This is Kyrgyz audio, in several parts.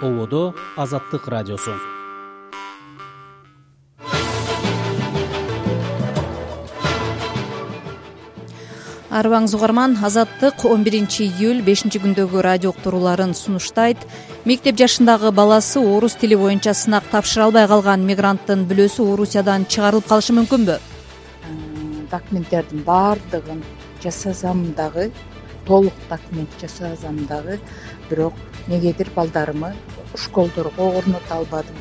Ободо Азаттык радиосу. Арыбаңыз угарман, Азаттык 11-июль 5-күндөгү радио уктурууларын сунуштайт. Мектеп жашындагы баласы орус тили боюнча сынак тапшыра албай калган мигранттын бүлөсү Орусиядан чыгарылып калышы мүмкүнбү? Документтердин баардыгын жасасам дагы, толук документ жасасам дагы, бирок негедир балдарымы школдорго орното албадым.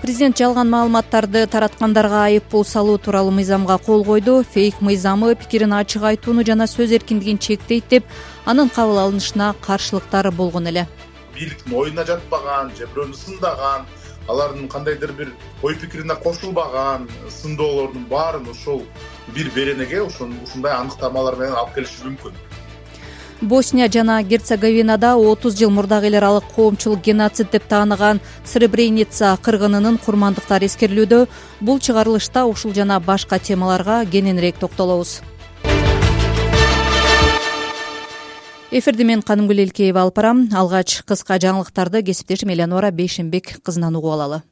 Президент жалган маалыматтарды тараткандарга айыппул салуу тууралуу мыйзамга кол койду. Фейк мыйзамы пикирин ачык айтууну жана сөз эркиндигин чектейт деп, анын кабыл алынышына каршылыктар болгон эле. Бийликтин оюна жатпаган же бирөөнү сындаган, алардын кандайдыр бир ой пикирине кошулбаган сындоолордун баарын ошол бир беренеге ушундай аныктамалар менен алып келиши мүмкүн. Босния жана Герцеговинада 30 жыл мурдагы эл аралык коомчулук геноцид деп тааныган Сребреница кыргынынын курмандыктары эскерилүүдө. Бул чыгарылышта ушул жана башка темаларга кененирээк токтолобуз. Эфирди мен Канымгүл Элкеева алып барам. Алгач кыска жаңылыктарды кесиптешим Элеонора Бейшенбек кызынан угуп алалы.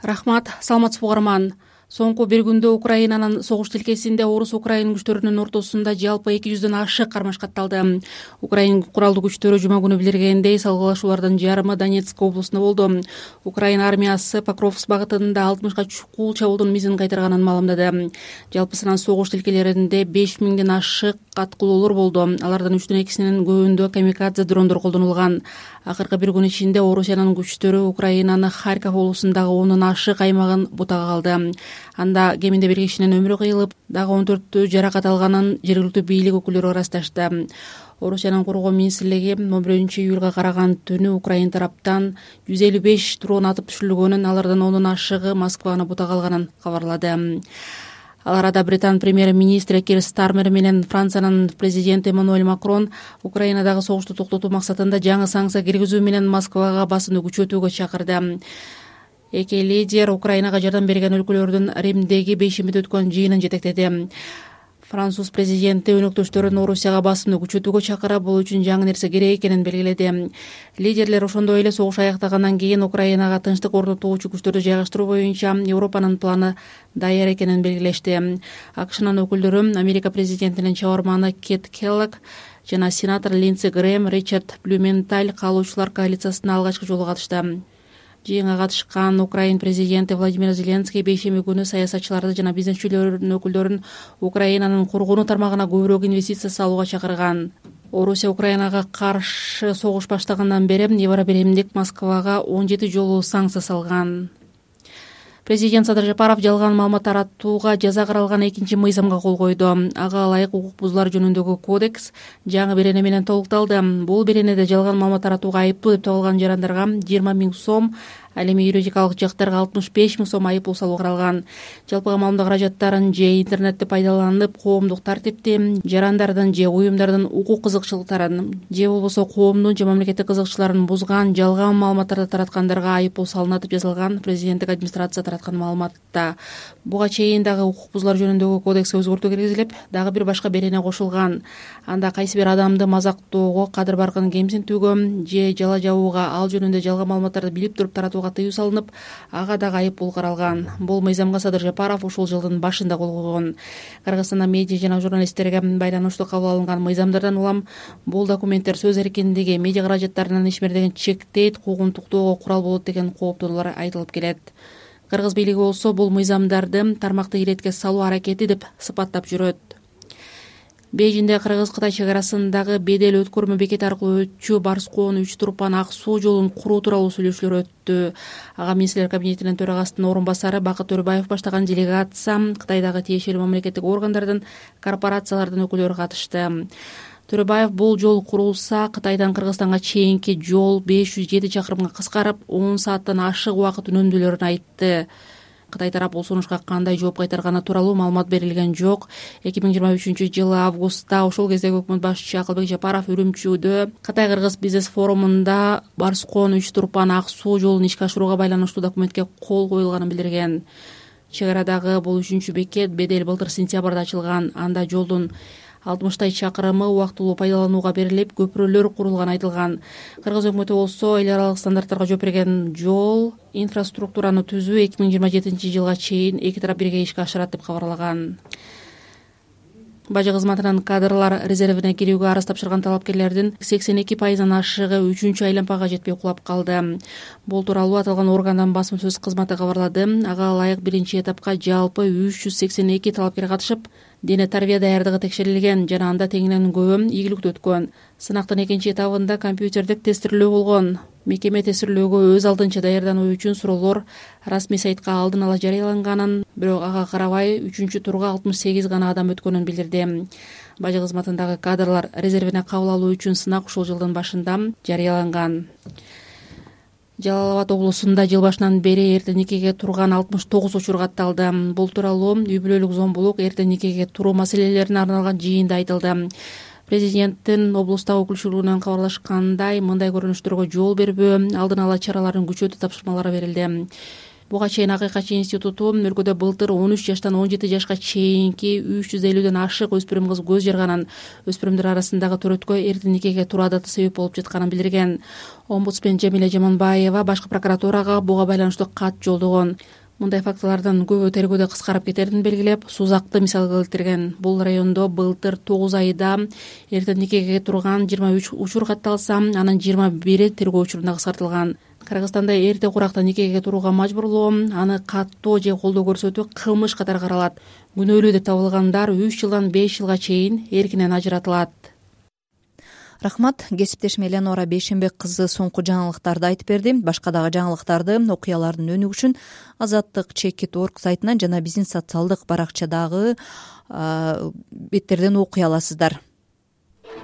Рахмат, саламатсызбы угарман. Соңку бир күндө Украинанын согуш тилкесинде орус-украин күчтөрүнүн ортосунда жалпы 200дөн ашык кармаш катталды. Украин куралдуу күчтөрү жума күнү билдиргендей, салгылашуулардын жарымы Донецк облусунда болду. Украин армиясы Покровск багытында 60га чукул чабуулдун мизин кайтарганын маалымдады. Жалпысынан согуш тилкелеринде 5000ден ашык аткылоолор болду. Алардын 3дөн 2синин көбүндө камикадзе дрондор колдонулган. Акыркы бир күн ичинде Орусиянын күчтөрү Украинаны Харьков облусундагы 10дон ашык аймагын бутага алды. Анда кеминде бир кишинин өмүрү кыйылып, дагы 14 жаракат алганын жергиликтүү бийлик өкүлдөрү ырасташты. Орусиянын коргоо министрлиги 11-июлга караган түнү Украин тараптан 155 дрон атып түшүрүлгөнүн, алардын 10дон ашыгы Москваны бутага алганын кабарлады. Ал арада Британ премьер-министри Кир Стармер менен Франциянын президенти Эммануэль Макрон Украинадагы согушту токтотуу максатында жаңы санкция киргизүү менен Москвага басымды күчөтүүгө чакырды. Эки лидер Украинага жардам берген өлкөлөрдүн Римдеги бейшембиде өткөн жыйынын жетектеди. Француз президенти өнөктөштөрүн Орусияга басымды күчөтүүгө чакырып, бул үчүн жаңы нерсе керек экенин белгиледи. Лидерлер ошондой эле согуш аяктагандан кийин Украинага тынчтык орнотуучу күчтөрдү жайгаштыруу боюнча Европанын планы даяр экенин белгилешти. АКШнын өкүлдөрү Америка президентинин чабарманы Кет Келлог жана сенатор Линдси Грэм, Ричард Блюменталь каалоочулар коалициясына алгачкы жолу катышты. Жыйынга катышкан Украин президенти Владимир Зеленский бейшемби күнү саясатчыларды жана бизнесчилердин өкүлдөрүн Украинанын коргонуу тармагына көбүрөөк инвестиция салууга чакырган. Орусия Украинага каршы согуш баштагандан бери Евробиримдик Москвага 17 жолу санкция салган. Президент Садыр Жапаров жалган маалымат таратууга жаза каралган 2-чи мыйзамга кол койду. Ага ылайык укук бузуулар жөнүндөгү кодекс жаңы берене менен толукталды. Бул беренеде жалган маалымат таратууга айыптуу деп табылган жарандарга 20 000 сом, ал эми юридикалык жактарга 65 000 сом айыппул салуу каралган. Жалпыга маалымат каражаттарын же интернетти пайдаланып, коомдук тартипти, жарандардын же уюмдардын укук кызыкчылыктарын же болбосо коомдун же мамлекеттик кызыкчылыктарын бузган жалган маалыматтарды тараткандарга айыппул салынат деп жазылган президенттик администрация тараткан маалыматта. Буга чейин дагы укук бузуулар жөнүндөгү кодекске өзгөртүү киргизилип, дагы бир башка берене кошулган. Анда кайсы бир адамды мазактоого, кадыр баркын кемсинтүүгө же жала жабууга, ал жөнүндө жалган маалыматтарды билип туруп таратууга тыюу салынып, ага дагы айыппул каралган. Бул мыйзамга Садыр Жапаров ушул жылдын башында кол койгон. Кыргызстанда медиа жана журналисттерге байланыштуу кабыл алынган мыйзамдардан улам бул документтер сөз эркиндиги, медиа каражаттарынын ишмердигин чектейт, куугун туктоого курал болот деген кооптонуулар айтылып келет. Кыргыз бийлиги болсо бул мыйзамдарды тармакты иретке салуу аракети деп сыпаттап жүрөт. Бейжинде Кыргыз-Кытай чегарасындагы бедел өткөрмө бекети аркылуу өтчү Барскоон 3 турпан ак суу жолун куруу тууралуу сүйлөшүүлөр өттү. Ага министрлер кабинетинин төрагасынын орун басары Бакыт Төрөбаев баштаган делегация, Кытайдагы тиешелүү мамлекеттик органдардын, корпорациялардын өкүлдөрү катышты. Төрөбаев бул жол курулса, Кытайдан Кыргызстанга чейинки жол 507 чакырымга кыскарып, 10 сааттан ашык убакыт үнөмдүүлөрүн айтты. Кытай тарап бул сунушка кандай жооп кайтарганы тууралуу маалымат берилген жок. 2023-жылы августта ошол кездеги өкмөт башчысы Акылбек Жапаров Үрүмчүдө Кытай-Кыргыз бизнес форумунда Барскоон 3 турпан ак суу жолун ишке ашырууга байланыштуу документке кол коюлганын билдирген. Чегарадагы бул 3-бекет бедел былтыр сентябрда ачылган. Анда жолдун 60 чакырымы убактылуу пайдаланууга берилип, көпүрөлөр курулганы айтылган. Кыргыз өкмөтү болсо эл аралык стандарттарга жооп берген жол инфраструктураны түзүү 2027 жылга чейин эки тарап бирге ишке ашырат деп кабарлаган. Бажы кызматынын кадрлар резервине кирүүгө арыз тапшырган талапкерлердин 82%-дан ашыгы 3-чү айлампага жетпей кулап калды. Бул тууралуу аталган органдын басма сөз кызматы кабарлады. Ага ылайык биринчи этапка жалпы 382 талапкер катышып, дене тарбия даярдыгы текшерилген жана анда теңинен көбү ийгиликтүү өткөн. Сынактын экинчи этабында компьютердик тестирлөө болгон. Мекеме тестирлөөгө өз алдынча даярдануу үчүн суроолор расмий сайтка алдын ала жарыяланганын, бирок ага карабай 3-чү турга 68 гана адам өткөнүн билдирди. Бажы кызматындагы кадрлар резервине кабыл алуу үчүн сынак ушул жылдын башында жарыяланган. Жалал Абад облусунда жыл башынан бери эрте никеге турган 69 учур катталды. Бул тууралуу үй бүлөлүк зомбулук, эрте никеге туруу маселелерине арналган жыйында айтылды. Президенттин облустагы өкүлчүлүгүнөн кабарлашкандай, мындай көрүнүштөргө жол бербөө, алдын ала чараларын күчөтүү тапшырмалары берилди. Буга чейин Акыйкатчы институту өлкөдө былтыр 13 жаштан 17 жашка чейинки 350ден ашык өспүрүм кыз көз жарганын, өспүрүмдөр арасындагы төрөткө эрте никеге туруу адаты себеп болуп жатканын билдирген. Омбудсмен Жамиля Жаманбаева башкы прокуратурага буга байланыштуу кат жолдогон. Мындай фактылардын көбү тергөөдө кыскарып кетерин белгилеп, Сузакты мисал келтирген. Бул райондо былтыр 9 айда эрте никеге турган 23 учур катталса, анын 21 тергөө учурунда кыскартылган. Кыргызстанда эрте куракта никеге турууга мажбурлоо, аны каттоо же колдоо көрсөтүү кылмыш катары каралат. Күнөөлүү деп табылгандар 3 жылдан 5 жылга чейин эркинен ажыратылат. Рахмат. Кесиптешим Эленора Бейшенбек кызы соңку жаңылыктарды айтып берди. Башка дагы жаңылыктарды, окуялардын өнүгүшүн azattik.org сайтынан жана биздин социалдык баракчадагы беттерден окуй аласыздар.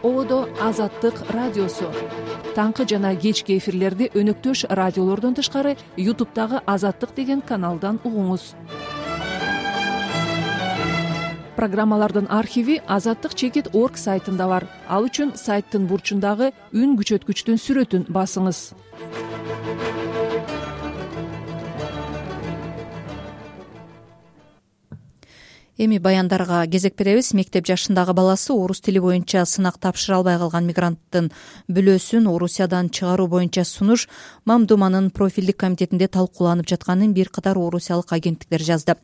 Ободо Азаттык радиосу. Таңкы жана кечки эфирлерди өнөктөш радиолордон тышкары YouTube'дагы Азаттык деген каналдан угуңуз. Программалардын архиви azattik.org сайтында бар. Ал үчүн сайттын бурчундагы үн күчөткүчтүн сүрөтүн басыңыз. Эми баяндарга кезек беребиз. Мектеп жашындагы баласы орус тили боюнча сынак тапшыра албай калган мигранттын бүлөөсүн Орусиядан чыгаруу боюнча сунуш Мамдуманын профилдик комитетинде талкууланып жатканын бир катар орусиялык агенттиктер жазды.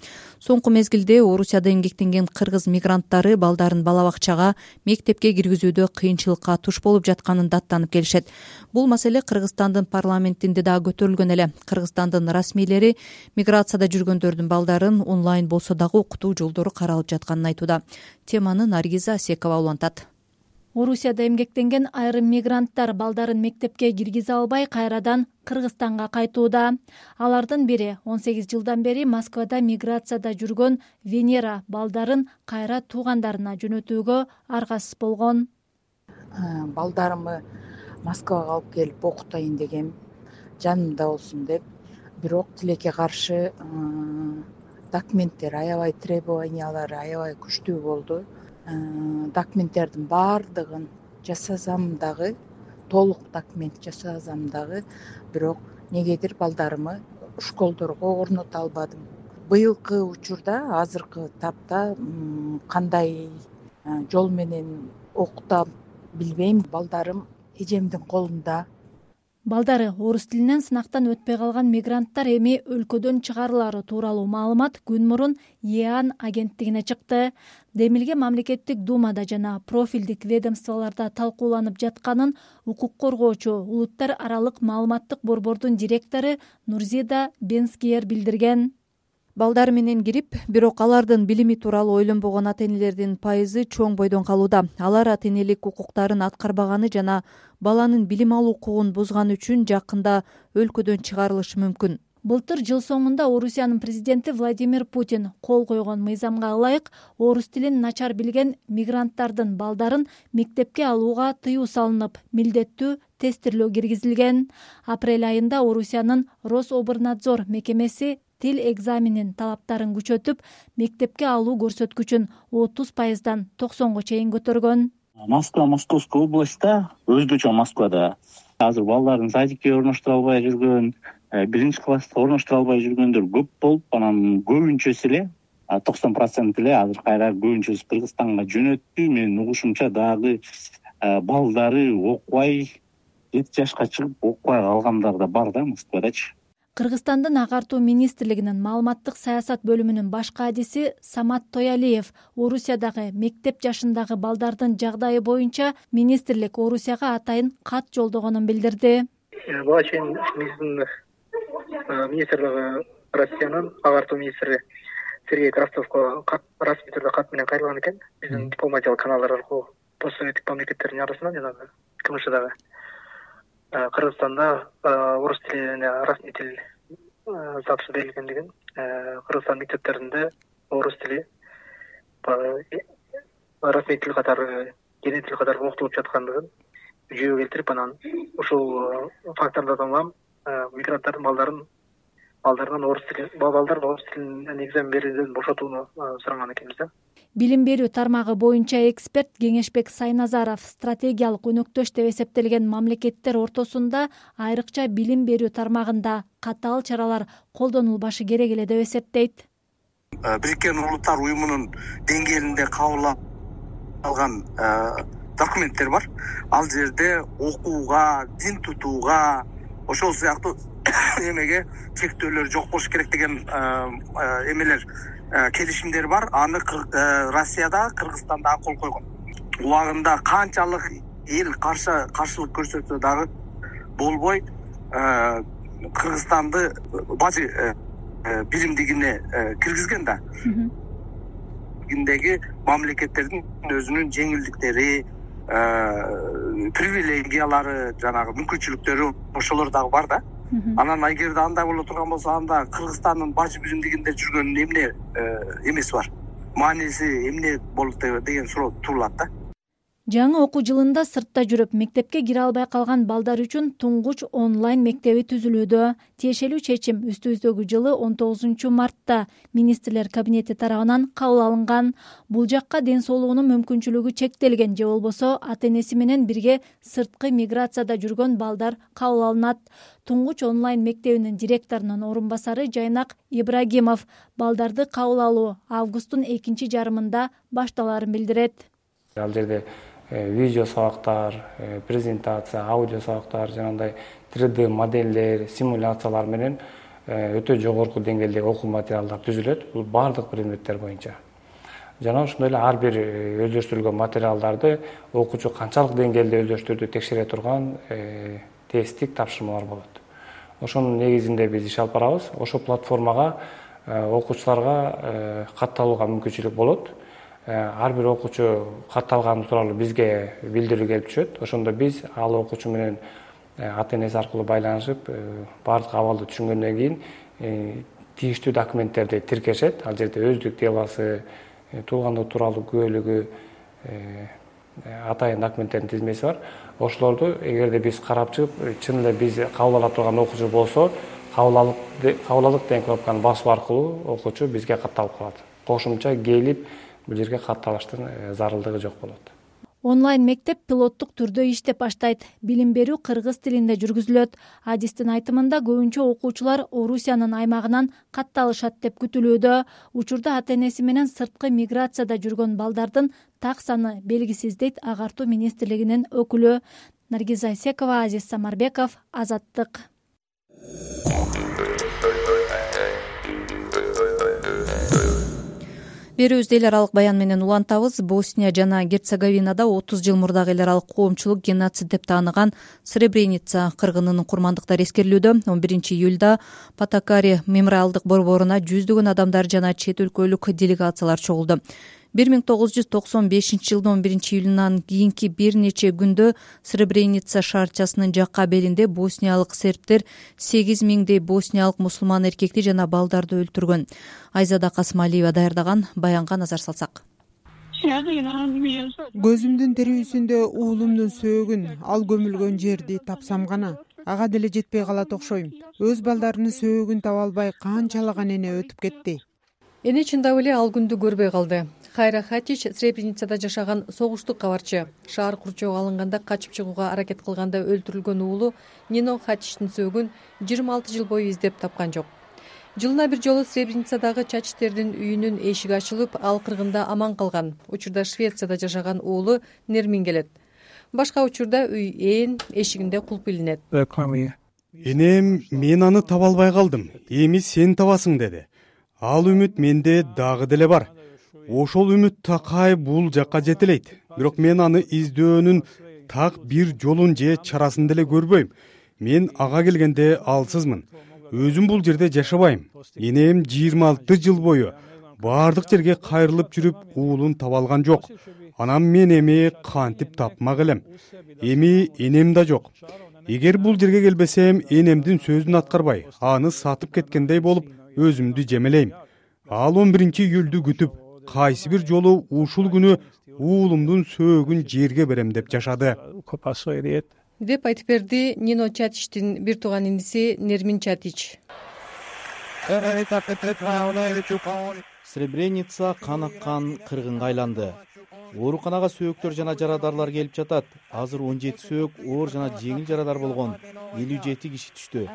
Соңку мезгилде Орусияда эмгектенген кыргыз мигранттары балдарын бала бакчага, мектепке киргизүүдө кыйынчылыкка туш болуп жатканын даттанып келишет. Бул маселе Кыргызстандын парламентинде дагы көтөрүлгөн эле. Кыргызстандын расмийлери миграцияда жүргөндөрдүн балдарын онлайн болсо дагы окутуу жолдору каралып жатканын айтууда. Теманы Наргиза Асекова улантат. Орусияда эмгектенген айрым мигранттар балдарын мектепке киргизе албай кайрадан Кыргызстанга кайтууда. Алардын бири 18 жылдан бери Москвада миграцияда жүргөн Венера балдарын кайра туугандарына жөнөтүүгө аргасыз болгон. Балдарымы Москвага алып келип окутайын дегем, жанымда болсун деп. Бирок тилекке каршы документтер аябай, требованиялары аябай күчтүү болду. Документтердин баардыгын жасасам дагы, толук документ жасасам дагы, бирок негедир балдарымы школдорго орното албадым. Быйылкы учурда, азыркы тапта кандай жол менен окутам билбейм. Балдарым эжемдин колунда. Балдары орус тилинен сынактан өтпөй калган мигранттар эми өлкөдөн чыгарылары тууралуу маалымат күн мурун ЕАН агенттигине чыкты. Демилге мамлекеттик думада жана профилдик ведомстволордо талкууланып жатканын укук коргоочу улуттар аралык маалыматтык борбордун директору Нурзида Бенскиер билдирген. Балдары менен кирип, бирок алардын билими тууралуу ойлонбогон ата-энелердин пайызы чоң бойдон калууда. Алар ата-энелик укуктарын аткарбаганы жана баланын билим алуу укугун бузганы үчүн жакында өлкөдөн чыгарылышы мүмкүн. Былтыр жыл соңунда Орусиянын президенти Владимир Путин кол койгон мыйзамга ылайык орус тилин начар билген мигранттардын балдарын мектепке алууга тыюу салынып, милдеттүү тестирлөө киргизилген. Апрель айында Орусиянын Рособорнадзор мекемеси тил экзаменин талаптарын күчөтүп, мектепке алуу көрсөткүчүн 30%дан 90га чейин көтөргөн. Москва, Московская областьта, өзгөчө Москвада азыр балдарын садикке орноштура албай жүргөн, биринчи класста орноштура албай жүргөндөр көп болуп, анан көбүнчөсү эле 90% эле азыр кайра көбүнчөсү Кыргызстанга жөнөттү. Менин угушумча дагы балдары окубай 7 жашка чыгып окубай калгандар да бар да Москвадачы. Кыргызстандын агартуу министрлигинин маалыматтык саясат бөлүмүнүн баш кадиси Самат Тоялиев Орусиядагы мектеп жашындагы балдардын жагдайы боюнча министрлик Орусияга атайын кат жолдогонун билдирди. Буга чейин министрлиги Россиянын агартуу министри Сергей Кравцовго расмий түрдө кат менен кайрылган экен. Биздин дипломатиялык каналдар аркылуу постсоветтик мамлекеттердин арасынан жанагы КМШдагы Кыргызстанда орус тилине расмий тил статусу берилгендигин, Кыргызстан мектептеринде орус тили расмий тил катары, кене тил катары окутулуп жаткандыгын жүйөгө келтирип, анан ушул фактордордон улам мигранттардын балдарын орус тилинен экзамен берүүдөн бошотууну суранган экенбиз да. Билим берүү тармагы боюнча эксперт Кеңешбек Сайназаров стратегиялык өнөктөш деп эсептелген мамлекеттер ортосунда айрыкча билим берүү тармагында катаал чаралар колдонулбашы керек эле деп эсептейт. Бириккен Улуттар уюмунун деңгээлинде кабыл алган документтер бар. Ал жерде окууга, дин тутууга, ошол сыяктуу эмеге чектөөлөр жок болуш керек деген эмелер, келишимдер бар. Аны Россияда, Кыргызстанда кол койгон. Убагында канчалык эл каршылык көрсөтсө дагы болбой, Кыргызстанды бажы биримдигине киргизген да. Биримдиги мамлекеттердин өзүнүн жеңилдиктери, привилегиялары, жанагы мүмкүнчүлүктөрү ошолор дагы бар да. Анан эгерде андай боло турган болсо, анда Кыргызстандын бажы биримдигинде жүргөн эмне эмеси бар? Мааниси эмне болот деген суроо туулат да. Жаңы окуу жылында сыртта жүрүп мектепке кире албай калган балдар үчүн туңгуч онлайн мектеби түзүлүүдө. Тиешелүү чечим үстүбүздөгү жылы 19 мартта министрлер кабинети тарабынан кабыл алынган. Бул жакка ден соолугунун мүмкүнчүлүгү чектелген же болбосо ата-энеси менен бирге сырткы миграцияда жүргөн балдар кабыл алынат. Туңгуч онлайн мектебинин директорунун орун басары Жайнак Ибрагимов балдарды кабыл алуу августтун экинчи жарымында башталарын билдирет. Ал жерде видео сабактар, презентация, аудио сабактар, жанагындай 3D модельдер, симуляциялар менен өтө жогорку деңгээлдеги окуу материалдар түзүлөт. Бул бардык предметтер боюнча. Жана ошондой эле ар бир өздөштүрүлгөн материалдарды окуучу канчалык деңгээлде өздөштүрдү текшере турган тесттик тапшырмалар болот. Ошонун негизинде биз иш алып барабыз. Ошол платформага окуучуларга катталууга мүмкүнчүлүк болот. Ар бир окуучу катталганы тууралуу бизге билдирүү келип түшөт. Ошондо биз ал окуучу менен ата-энеси аркылуу байланышып, бардык абалды түшүнгөндөн кийин тийиштүү документтерди тиркешет. Ал жерде өздүк делосы, туулгандык тууралуу күбөлүгү, атайын документтердин тизмеси бар. Ошолорду эгерде биз карап чыгып, чын эле биз кабыл ала турган окуучу болсо, кабыл алдык деген кнопканы басуу аркылуу окуучу бизге катталып калат. Кошумча келип бул жерге катталыштын зарылдыгы жок болот. Онлайн мектеп пилоттук түрдө иштеп баштайт. Билим берүү кыргыз тилинде жүргүзүлөт. Адистин айтымында көбүнчө окуучулар Орусиянын аймагынан катталышат деп күтүлүүдө. Учурда ата-энеси менен сырткы миграцияда жүргөн балдардын так саны белгисиз дейт агартуу министрлигинин өкүлү. Наргиза Исекова, Азиз Самарбеков, Азаттык. Берүүбүздү эл аралык баян менен улантабыз. Босния жана Герцеговинада 30 жыл мурдагы эл аралык коомчулук геноцид деп тааныган Сребреница кыргынынын курмандыктары эскерилүүдө. 11 июлда Патакари мемориалдык борборуна жүздөгөн адамдар жана чет өлкөлүк делегациялар чогулду. 1995 жылдын 11 июлунан кийинки бир нече күндө Сребреница шаарчасынын жакка белинде босниялык сербтер 8000дей босниялык мусулман эркекти жана балдарды өлтүргөн. Айзада Касымалиева даярдаган баянга назар салсак. Көзүмдүн терүүсүндө уулумдун сөөгүн, ал көмүлгөн жерди тапсам гана ага деле жетпей калат окшойм. Өз балдарынын сөөгүн таба албай канчалаган эне өтүп кетти. Эне чындап эле ал күндү көрбөй калды. Хайра Хатич Сребреницада жашаган согуштук кабарчы. Шаар курчоого алынганда качып чыгууга аракет кылганда өлтүрүлгөн уулу Нино Хатичтин сөөгүн 26 жыл бою издеп тапкан жок. Жылына бир жолу Сребреницадагы Чачичтердин үйүнүн эшиги ачылып, ал кыргында аман калган. Учурда Швецияда жашаган уулу Нермин келет. Башка учурда үй эшигинде кулп илинет. Энем, мен аны таба албай калдым. Эми сен табасың деди. Ал үмүт менде дагы деле бар. Ошол үмүт такай бул жакка жетелейт. Бирок мен аны издөөнүн так бир жолун же чарасын деле көрбөйм. Мен ага келгенде алсызмын. Өзүм бул жерде жашабайм. Энем 26 жыл бою баардык жерге кайрылып жүрүп уулун таба алган жок. Анан мен эми кантип тапмак элем. Эми энем да жок. Эгер бул жерге келбесем, энемдин сөзүн аткарбай, аны сатып кеткендей болуп, өзүмдү жемелейм. Ал 11-июлду күтүп, кайсы бир жолу ушул күнү уулумдун сөөгүн жерге берем деп жашады. Деп айтып берди Нино Чатичтин бир тууган иниси Нермин Чатич. Сребреница кан аккан кыргынга айланды. Ооруканага сөөктөр жана жарадарлар келип жатат. Азыр 17 сөөк, оор жана жеңил жарадар болгон 57 киши түштү.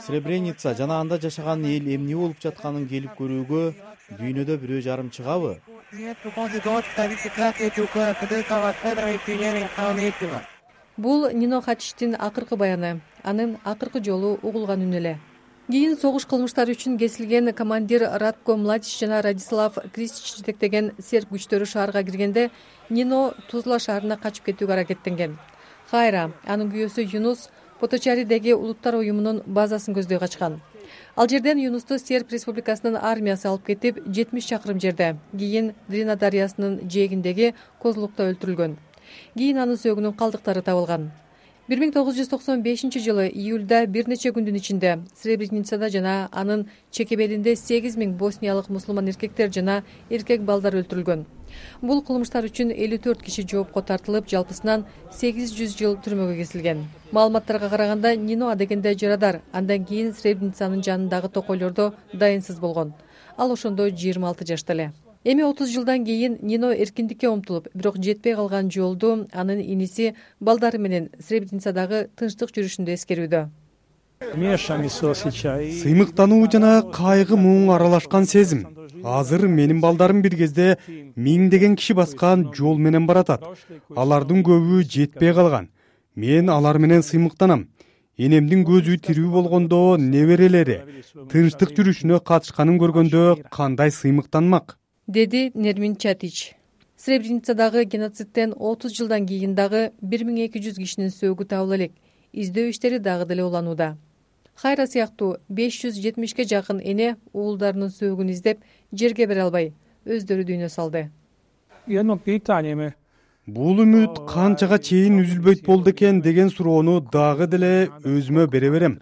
Сребреница жана анда жашаган эл эмне болуп жатканын келип көрүүгө дүйнөдө бирөө жарым чыгабы? Бул Нино Чатичтин акыркы баяны, анын акыркы жолу угулган үн эле. Кийин согуш кылмыштары үчүн кесилген командир Радко Младич жана Радислав Кристич жетектеген серб күчтөрү шаарга киргенде Нино Тузла шаарына качып кетүүгө аракеттенген. Кайра анын күйөөсү Юнус Поточаридеги улуттар уюмунун базасын көздөй качкан. Ал жерден Юнусту Серб Республикасынын армиясы алып кетип 70 чакырым жерде, кийин Дрина дарыясынын жээгиндеги Козлукта өлтүрүлгөн. Кийин анын сөөгүнүн калдыктары табылган. 1995 жылы июлда бир нече күндүн ичинде Сребреницада жана анын чекебелинде 8000 босниялык мусулман эркектер жана эркек балдар өлтүрүлгөн. Бул кылмыштар үчүн 54 киши жоопко тартылып, жалпысынан 800 жыл түрмөгө кесилген. Маалыматтарга караганда Нино адегенде жарадар, андан кийин Сребреницанын жанындагы токойлордо дайынсыз болгон. Ал ошондо 26 жашта эле. Эми 30 жылдан кийин Нино эркиндикке умтулуп, бирок жетпей калган жолду анын иниси балдары менен Сребреницадагы тынчтык жүрүшүндө эскерүүдө. Сыймыктануу жана кайгы муң аралашкан сезим. Азыр менин балдарым бир кезде миңдеген киши баскан жол менен баратат. Алардын көбү жетпей калган. Мен алар менен сыймыктанам. Энемдин көзү тирүү болгондо неберелери тынчтык жүрүшүнө катышканын көргөндө кандай сыймыктанмак? Деди Нермин Чатич. Сребреницадагы геноцидтен 30 жылдан кийин дагы 1200 кишинин сөөгү табыла элек. Издөө иштери дагы деле уланууда. Кайра сыяктуу 570ке жакын эне уулдарынын сөөгүн издеп жерге бере албай өздөрү дүйнө салды. Бул үмүт канчага чейин үзүлбөйт болду экен деген суроону дагы деле өзүмө бере берем.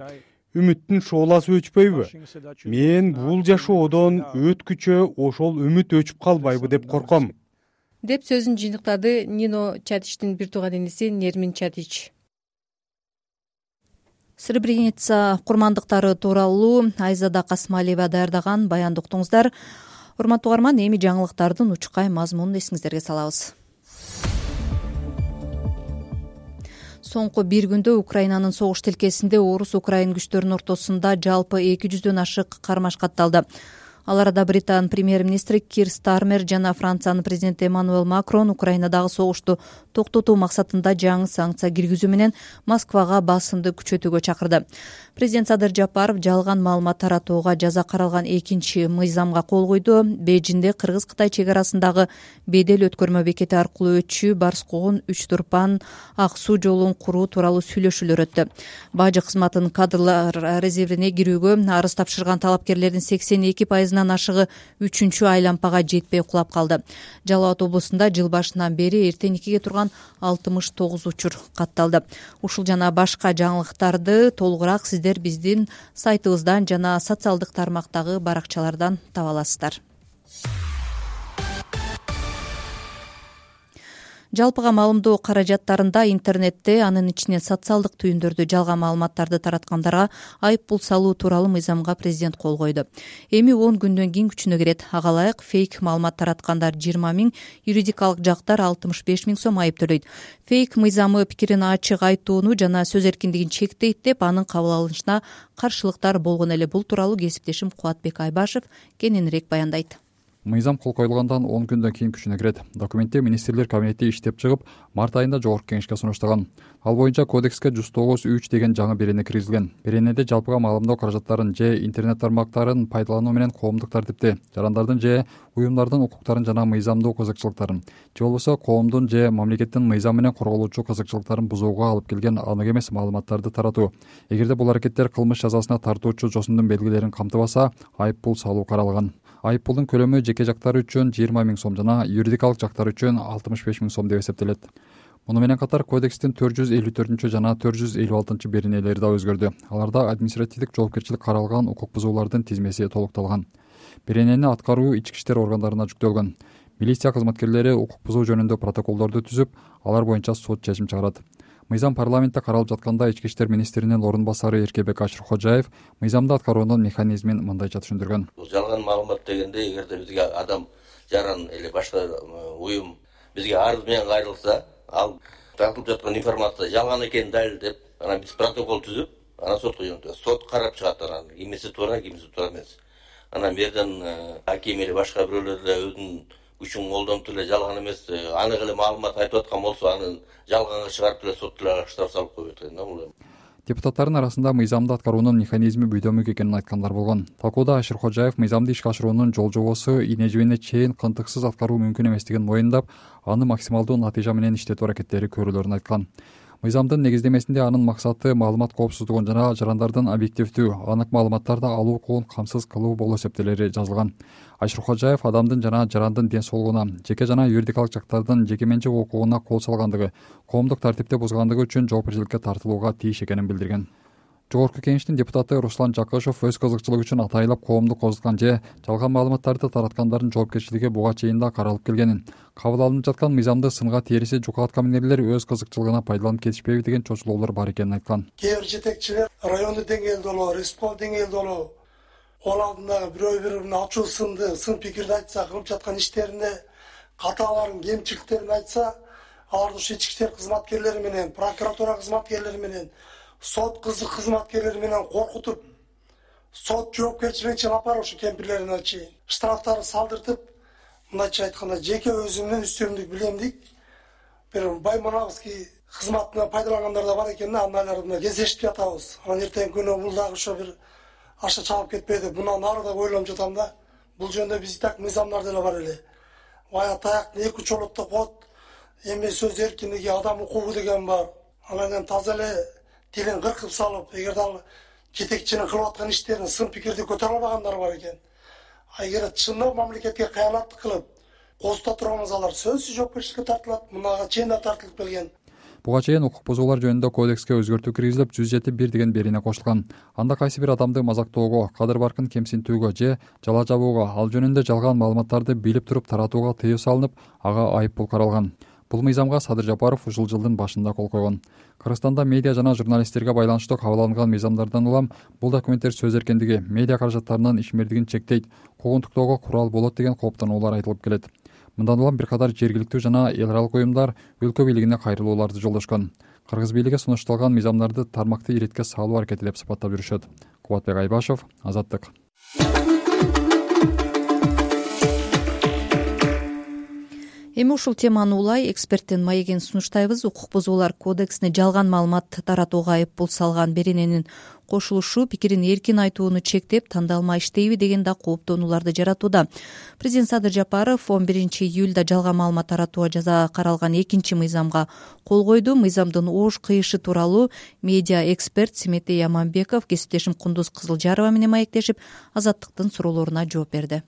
Үмүттүн шооласы өчпөйбү? Мен бул жашоодон өткүчө ошол үмүт өчүп калбайбы деп корком. Деп сөзүн жыйынтыктады Нино Чатичтин бир тууган иниси Нермин Чатич. Сребреница курмандыктары тууралуу Айзада Касмалиева даярдаган баянды уктуңуздар. Урматтуу угарман, эми жаңылыктардын учкай мазмунун эсиңиздерге салабыз. Соңку бир күндө Украинанын согуш тилкесинде орус-украин күчтөрүнүн ортосунда жалпы 200дөн ашык кармаш катталды. Ал арада Британ премьер-министри Кир Стармер жана Франциянын президенти Эммануэл Макрон Украинадагы согушту токтотуу максатында жаңы санкция киргизүү менен Москвага басымды күчөтүүгө чакырды. Президент Садыр Жапаров жалган маалымат таратууга жаза каралган 2-мыйзамга кол койду. Бейжинде Кыргыз-Кытай чек арасындагы бедел өткөрмө бекети аркылуу өтчү Барскогун, Үч Турпан, Ак Суу жолун куруу тууралуу сүйлөшүүлөр өттү. Бажы кызматынын кадрлар резервине кирүүгө арыз тапшырган талапкерлердин 82% ашыгы 3-чү айлампага жетпей кулап калды. Жалал Абад облусунда жыл башынан бери эртең 2ге турган 69 учур катталды. Ушул жана башка жаңылыктарды толугураак сиздер биздин сайтыбыздан жана социалдык тармактагы баракчалардан таба аласыздар. жалпыга маалымдоо каражаттарында интернетте, анын ичинен социалдык түйүндөрдө жалган маалыматтарды тараткандарга айып пул салуу тууралуу мыйзамга президент кол койду. Эми 10 күндөн кийин күчүнө кирет. Ага ылайык фейк маалымат тараткандар 20 000, юридикалык жактар 65 000 сом айып төлөйт. Фейк мыйзамы пикирин ачык айтууну жана сөз эркиндигин чектейт деп, анын кабыл алынышына каршылыктар болгон эле. Бул тууралуу кесиптешим Кубатбек Айбашев кененирээк баяндайт. Мыйзам кол коюлгандан 10 күндөн кийин күчүнө кирет. Документте министрлер кабинети иштеп чыгып, март айында жогорку кеңешке сунуштаган. Ал боюнча кодекске 193 деген жаңы берене киргизилген. Беренеде жалпыга маалымдоо каражаттарын же интернет тармактарын пайдалануу менен коомдук тартипти, жарандардын же уюмдардын укуктарын жана мыйзамдуу кызыкчылыктарын, же болбосо коомдун же мамлекеттин мыйзам менен корголуучу кызыкчылыктарын бузууга алып келген анык эмес маалыматтарды таратуу. Эгерде бул аракеттер кылмыш жазасына тартуучу жосундун белгилерин камтыбаса, айып пул салуу каралган. Айып пулдун көлөмү жеке жактар үчүн 20 000 сом жана юридикалык жактар үчүн 65 000 сом деп эсептелет. Муну менен катар кодекстин 454 жана 456 беренелери да өзгөрдү. Аларда административдик жоопкерчилик каралган укук бузуулардын тизмеси толукталган. Беренени аткаруу ички иштер органдарына жүктөлгөн. Милиция кызматкерлери укук бузуу жөнүндө протоколдорду түзүп, алар боюнча сот чечим чыгарат. Мыйзам парламентте каралып жатканда ички иштер министринин орун басары Эркебек Ашыркожаев мыйзамды аткаруунун механизмин мындайча түшүндүргөн. Жалган маалымат дегенде, эгерде бизге адам жаран или башка уюм бизге арыз менен кайрылса, ал тартылып жаткан информация жалган экенин далилдеп, анан биз протокол түзүп, анан сотко жөнөтөбүз. Сот карап чыгат, анан кимиси туура, кимиси туура эмес. Анан бу жерден аким или башка бирөөлөр да өзүнүн күчүн колдонуп эле жалган эмес, анык эле маалымат айтып аткан болсо, аны жалганга чыгарып эле сот деле штраф салып коет экен да бул. Депутаттардын арасында мыйзамды аткаруунун механизми бүйдөмүк экенин айткандар болгон. Талкууда Ашыркожаев мыйзамды ишке ашыруунун жол жобосу ине-жибине чейин кантыксыз аткаруу мүмкүн эместигин моюндап, аны максималдуу натыйжа менен иштетүү аракеттери көрүлөрүн айткан. Мыйзамдын негиздемесинде анын максаты маалымат коопсуздугун жана жарандардын объективдүү, анык маалыматтарды алуу укугун камсыз кылуу болуп эсептелери жазылган. Ашыркожаев адамдын жана жарандын ден соолугуна, жеке жана юридикалык жактардын жеке менчик укугуна кол салгандыгы, коомдук тартипти бузгандыгы үчүн жоопкерчиликке тартылууга тийиш экенин билдирген. Жогорку кеңештин депутаты Руслан Жакышев өз кызыкчылыгы үчүн атайлап коомду козуткан же жалган маалыматтарды тараткандардын жоопкерчилиги буга чейин да каралып келгенин, кабыл алынып жаткан мыйзамды сынга териси жука аткан эмнелер өз кызыкчылыгына пайдаланып кетишпейби деген чочулоолор бар экенин айткан. Кээ бир жетекчилер райондук деңгээлде болобу, республика деңгээлде болобу, ол алдындагы бирөө бирине ачуу сын пикирди айтса, кылып жаткан иштерине каталарын, кемчиликтерин айтса, аларды ушу ички иштер кызматкерлери менен, прокуратура кызматкерлери менен, сот кызматкерлери менен коркутуп, сот жоопкерчилигине чейин апарып ушу кемпирлерине чейин штрафтарды салдыртып, мындайча айтканда жеке өзүмдүн үстөмдүк билемдик бир байманабызский кызматына пайдалангандар да бар экен да, андайларды кездешип жатабыз. Анан эртең күнү бул дагы ошо бир аша чалып кетпейди. Мындан ары да ойлонуп жатам да. Бул жөнүндө биз так мыйзамдар деле бар эле. Бая таяктын эки учу болот деп коет. Эми сөз эркиндиги, адам укугу деген бар. Анан таза эле тилин кыркып салып, эгерде ал жетекчинин кылып аткан иштерин сын пикирди көтөрө албагандар бар экен. Эгер чындап мамлекетке кыянаттык кылып козута турган алар сөзсүз жоопкерчиликке тартылат. Мунага чейин да тартылып келген. Буга чейин укук бузуулар жөнүндө кодекске өзгөртүү киргизилип 107.1 деген берене кошулган. Анда кайсы бир адамды мазактоого, кадыр баркын кемсинтүүгө же жала жабууга, ал жөнүндө жалган маалыматтарды билип туруп таратууга тыюу салынып, ага айып пул каралган. Бул мыйзамга Садыр Жапаров ушул жылдын башында кол койгон. Кыргызстанда медиа жана журналисттерге байланыштуу кабыл алынган мыйзамдардан улам бул документтер сөз эркиндиги, медиа каражаттарынын ишмердигин чектейт, куугунтуктоого курал болот деген кооптонуулар айтылып келет. Мындан улам бир катар жергиликтүү жана эл аралык уюмдар өлкө бийлигине кайрылууларды жолдошкон. Кыргыз бийлиги сунушталган мыйзамдарды тармакты иретке салуу аракети деп сыпаттап жүрүшөт. Кубатбек Айбашев, Азаттык. Эми ушул теманы улай эксперттин маегин сунуштайбыз. Укук бузуулар кодексине жалган маалымат таратууга айып пул салган берененин кошулушу пикирин эркин айтууну чектеп, тандалма иштейби деген да кооптонууларды жаратууда. Президент Садыр Жапаров 11 июлда жалган маалымат таратууга жаза каралган экинчи мыйзамга кол койду. Мыйзамдын оош кыйышы тууралуу медиа эксперт Симетей Яманбеков кесиптешим Кундуз Кызылжарова менен маектешип, Азаттыктын суроолоруна жооп берди.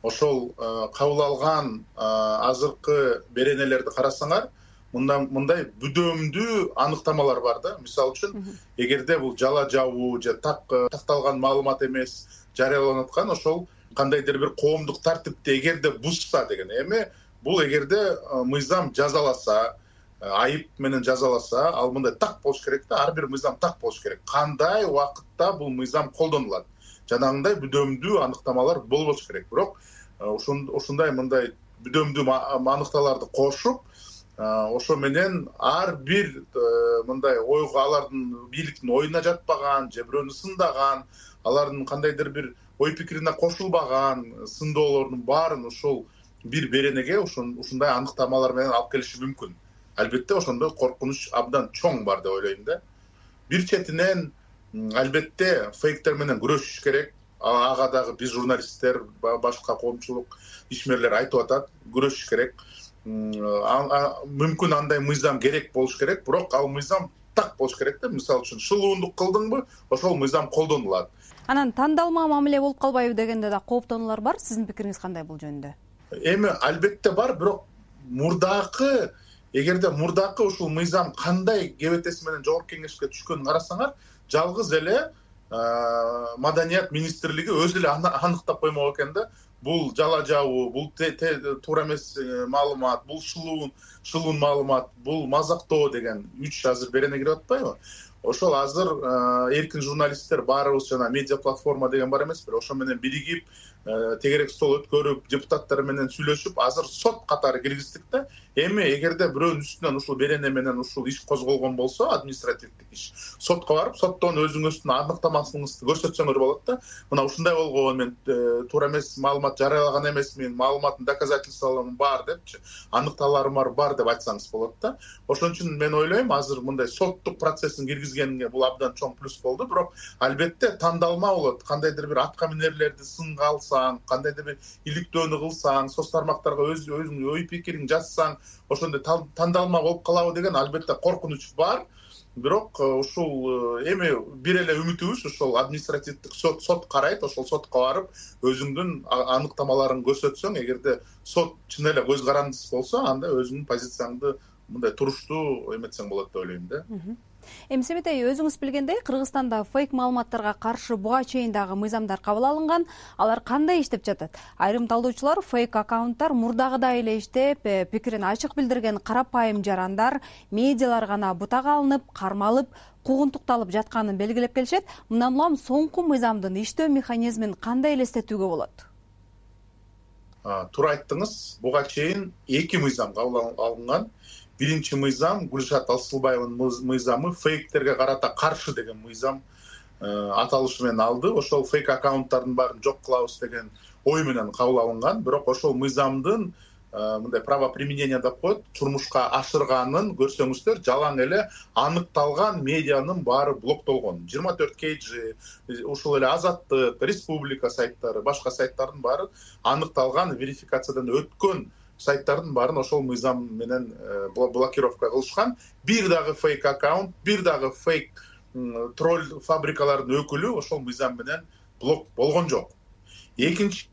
Ошол кабыл алган азыркы беренелерди карасаңар, мындай бүдөмдүү аныктамалар бар да. Мисалы үчүн, эгерде бул жала жабуу же такталган маалымат эмес жарыяланып аткан, ошол кандайдыр бир коомдук тартипти эгерде бузса деген. Эми бул эгерде мыйзам жазаласа, айып менен жазаласа, ал мындай так болуш керек да, ар бир мыйзам так болуш керек. Кандай убакытта бул мыйзам колдонулат? Жанагындай бүдөмдүү аныктамалар болбош керек. Бирок ушундай мындай бүдөмдүү аныкталарды кошуп, ошо менен ар бир мындай ойго алардын бийликтин оюна жатпаган, же бирөөнү сындаган, алардын кандайдыр бир ой пикирине кошулбаган сындоолордун баарын ушул бир беренеге ушундай аныктамалар менен алып келиши мүмкүн. Албетте ошондой коркунуч абдан чоң бар деп ойлойм да. Бир четинен албетте фейктер менен күрөшүш керек. Ага дагы биз журналисттер, башка коомчулук ишмерлер айтып атат, күрөшүш керек. Мүмкүн андай мыйзам керек болуш керек, бирок ал мыйзам так болуш керек да. Мисалы үчүн шылуундук кылдыңбы, ошол мыйзам колдонулат. Анан тандалма мамиле болуп калбайбы дегенде да кооптонуулар бар. Сиздин пикириңиз кандай бул жөнүндө? Эми албетте бар, бирок эгерде мурдакы ушул мыйзам кандай кебетеси менен жогорку кеңешке түшкөнүн карасаңар, жалгыз эле Маданият министрлиги өзү эле аныктап коймок экен да. Бул жала жабуу, бул туура эмес маалымат, бул шылуун маалымат, бул мазактоо деген 3 азыр берене кирип атпайбы? Ошол азыр эркин журналисттер баарыбыз жана медиа платформа деген бар эмеспи? Ошо менен биригип, тегерек стол өткөрүп, депутаттар менен сүйлөшүп, азыр сот катары киргиздик да. Эми эгерде бирөөнүн үстүнөн ушул берене менен ушул иш козголгон болсо, административдик иш, сотко барып, соттон өзүңүздүн аныктамаңызды көрсөтсөңөр болот да. Мына ушундай болгон, мен туура эмес маалымат жарыялаган эмесмин, маалыматтын доказательстволорум бар депчи, аныкталарым бар деп айтсаңыз болот да. Ошон үчүн мен ойлойм, азыр мындай соттук процессин киргизгенге бул абдан чоң плюс болду, бирок албетте тандалма болот. Кандайдыр бир атка минерлерди сынга алсаң, кандайдыр бир иликтөөнү кылсаң, соц тармактарга өзүңдүн ой пикириңди жазсаң, ошондой тандалма болуп калабы деген албетте коркунуч бар. Бирок ушул эми бир эле үмүтүбүз ушул административдик сот карайт, ошол сотко барып өзүңдүн аныктамаларыңды көрсөтсөң, эгерде сот чын эле көз карандысыз болсо, анда өзүңдүн позицияңды мындай туруштуу эметсең болот деп ойлойм да. Эми Себетей, өзүңүз билгендей, Кыргызстанда фейк маалыматтарга каршы буга чейин дагы мыйзамдар кабыл алынган. Алар кандай иштеп жатат? Айрым талдоочулар фейк аккаунттар мурдагыдай эле иштеп, пикирин ачык билдирген карапайым жарандар, медиалар гана бутага алынып, кармалып, куугунтукталып жатканын белгилеп келишет. Мындан улам соңку мыйзамдын иштөө механизмин кандай элестетүүгө болот? Туура айттыңыз. Буга чейин 2 мыйзам кабыл алынган. Биринчи мыйзам Гүлшат Алсылбаеванын мыйзамы фейктерге карата каршы деген мыйзам аталышы менен алды. Ошол фейк аккаунттардын баарын жок кылабыз деген ой менен кабыл алынган. Бирок ошол мыйзамдын мындай правоприменение деп коет, турмушка ашырганын көрсөңүздөр, жалаң эле аныкталган медианын баары блоктолгон. 24 KG, ушул эле Азаттык, Республика сайттары, башка сайттардын баары аныкталган, верификациядан өткөн сайттардын баарын ошол мыйзам менен блокировка кылышкан. Бир дагы фейк аккаунт, бир дагы фейк тролль фабрикалардын өкүлү ошол мыйзам менен блок болгон жок. Экинчи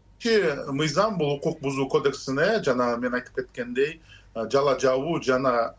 мыйзам бул укук бузуу кодексине жана мен айтып кеткендей жала жабуу жана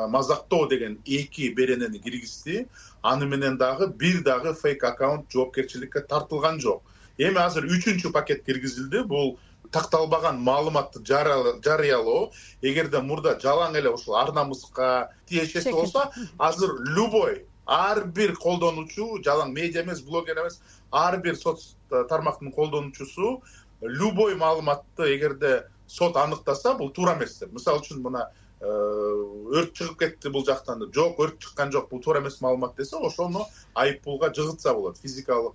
мазактоо деген 2 беренени киргизди. Аны менен дагы бир дагы фейк аккаунт жоопкерчиликке тартылган жок. Эми азыр 3-чү пакет киргизилди. Бул такталбаган маалыматты жарыялоо. Эгерде мурда жалаң эле ушул ар намыска тиешеси болсо, азыр любой ар бир колдонуучу, жалаң медиа эмес, блогер эмес, ар бир соц тармактын колдонуучусу любой маалыматты эгерде сот аныктаса, бул туура эмес деп. Мисалы үчүн мына өрт чыгып кетти бул жактан деп, жок, өрт чыккан жок, бул туура эмес маалымат десе, ошону айыппулга жыгытса болот. Физикалык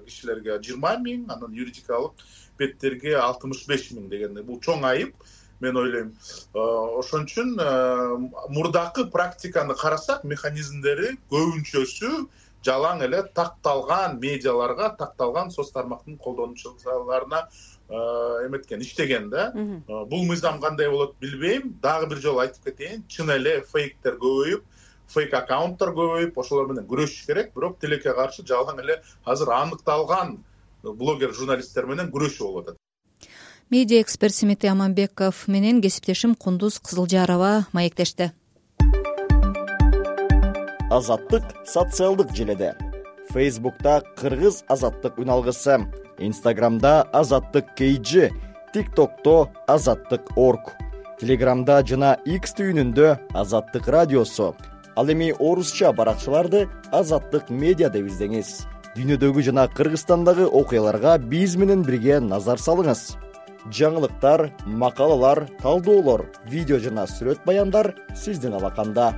кишилерге 20 000, анан юридикалык беттерге 65 000 дегенде бул чоң айып, мен ойлойм. Ошон үчүн мурдакы практиканы карасак, механизмдери көбүнчөсү жалаң эле такталган медиаларга, такталган соц тармактын колдонуучуларына эметкен, иштеген да. Бул мыйзам кандай болот билбейм. Дагы бир жолу айтып кетейин, чын эле фейктер көбөйүп, фейк аккаунттар көбөйүп, ошолор менен күрөшүш керек, бирок тилекке каршы жалаң эле азыр аныкталган блогер журналисттер менен күрөшүү болуп атат. Медиа эксперт Себетей Аманбеков менен кесиптешим Кундуз Кызылжарова маектешти. Азаттык социалдык желеде. Facebook'ta Кыргыз Азаттык үналгысы, Instagram'da Азаттык KG, TikTok'ta Азаттык.org. Телеграмда жана X түйүнүндө Азаттык радиосу. Ал эми орусча баракчаларды Азаттык медиа деп издеңиз. Дүйнөдөгү жана Кыргызстандагы окуяларга биз менен бирге назар салыңыз. Жаңылыктар, макалалар, талдоолор, видео жана сүрөт баяндар сиздин алаканда.